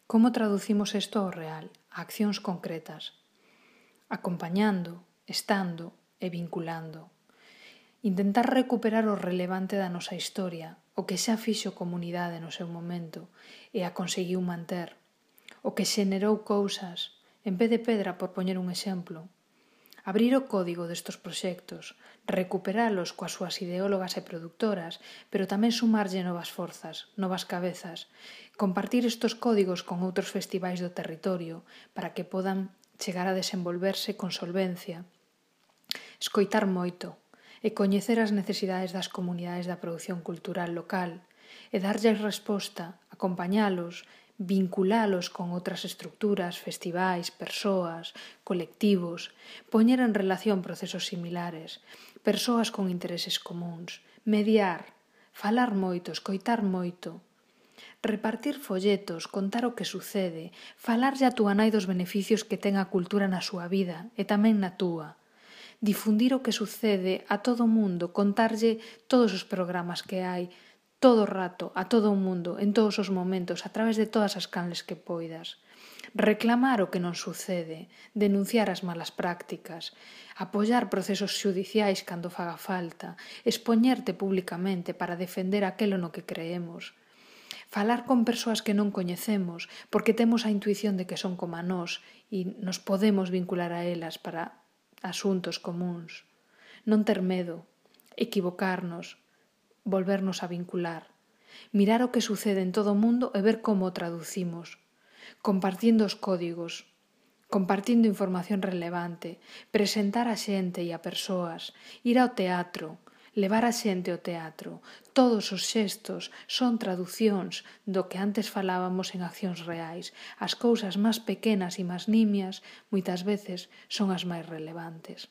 Como traducimos isto ao real, a accións concretas? Acompañando, estando e vinculando. Intentar recuperar o relevante da nosa historia, o que xa fixo comunidade no seu momento e a conseguiu manter, o que xenerou cousas, en vez de pedra, por poñer un exemplo. Abrir o código destos proxectos, recuperalos coas súas ideólogas e productoras, pero tamén sumarlle novas forzas, novas cabezas, compartir estos códigos con outros festivais do territorio para que podan chegar a desenvolverse con solvencia, escoitar moito e coñecer as necesidades das comunidades da produción cultural local e darlles resposta, acompañalos, vinculalos con outras estructuras, festivais, persoas, colectivos, poñer en relación procesos similares, persoas con intereses comuns, mediar, falar moito, escoitar moito, repartir folletos, contar o que sucede, falarlle a túa nai dos beneficios que ten a cultura na súa vida e tamén na túa, difundir o que sucede a todo o mundo, contarlle todos os programas que hai, todo o rato, a todo o mundo, en todos os momentos, a través de todas as canles que poidas. Reclamar o que non sucede, denunciar as malas prácticas, apoiar procesos xudiciais cando faga falta, expoñerte públicamente para defender aquelo no que creemos. Falar con persoas que non coñecemos, porque temos a intuición de que son como a nós e nos podemos vincular a elas para asuntos comuns. Non ter medo, equivocarnos, volvernos a vincular, mirar o que sucede en todo o mundo e ver como o traducimos, compartindo os códigos, compartindo información relevante, presentar a xente e a persoas, ir ao teatro, levar a xente ao teatro. Todos os xestos son traducións do que antes falábamos en accións reais. As cousas máis pequenas e máis nimias moitas veces son as máis relevantes.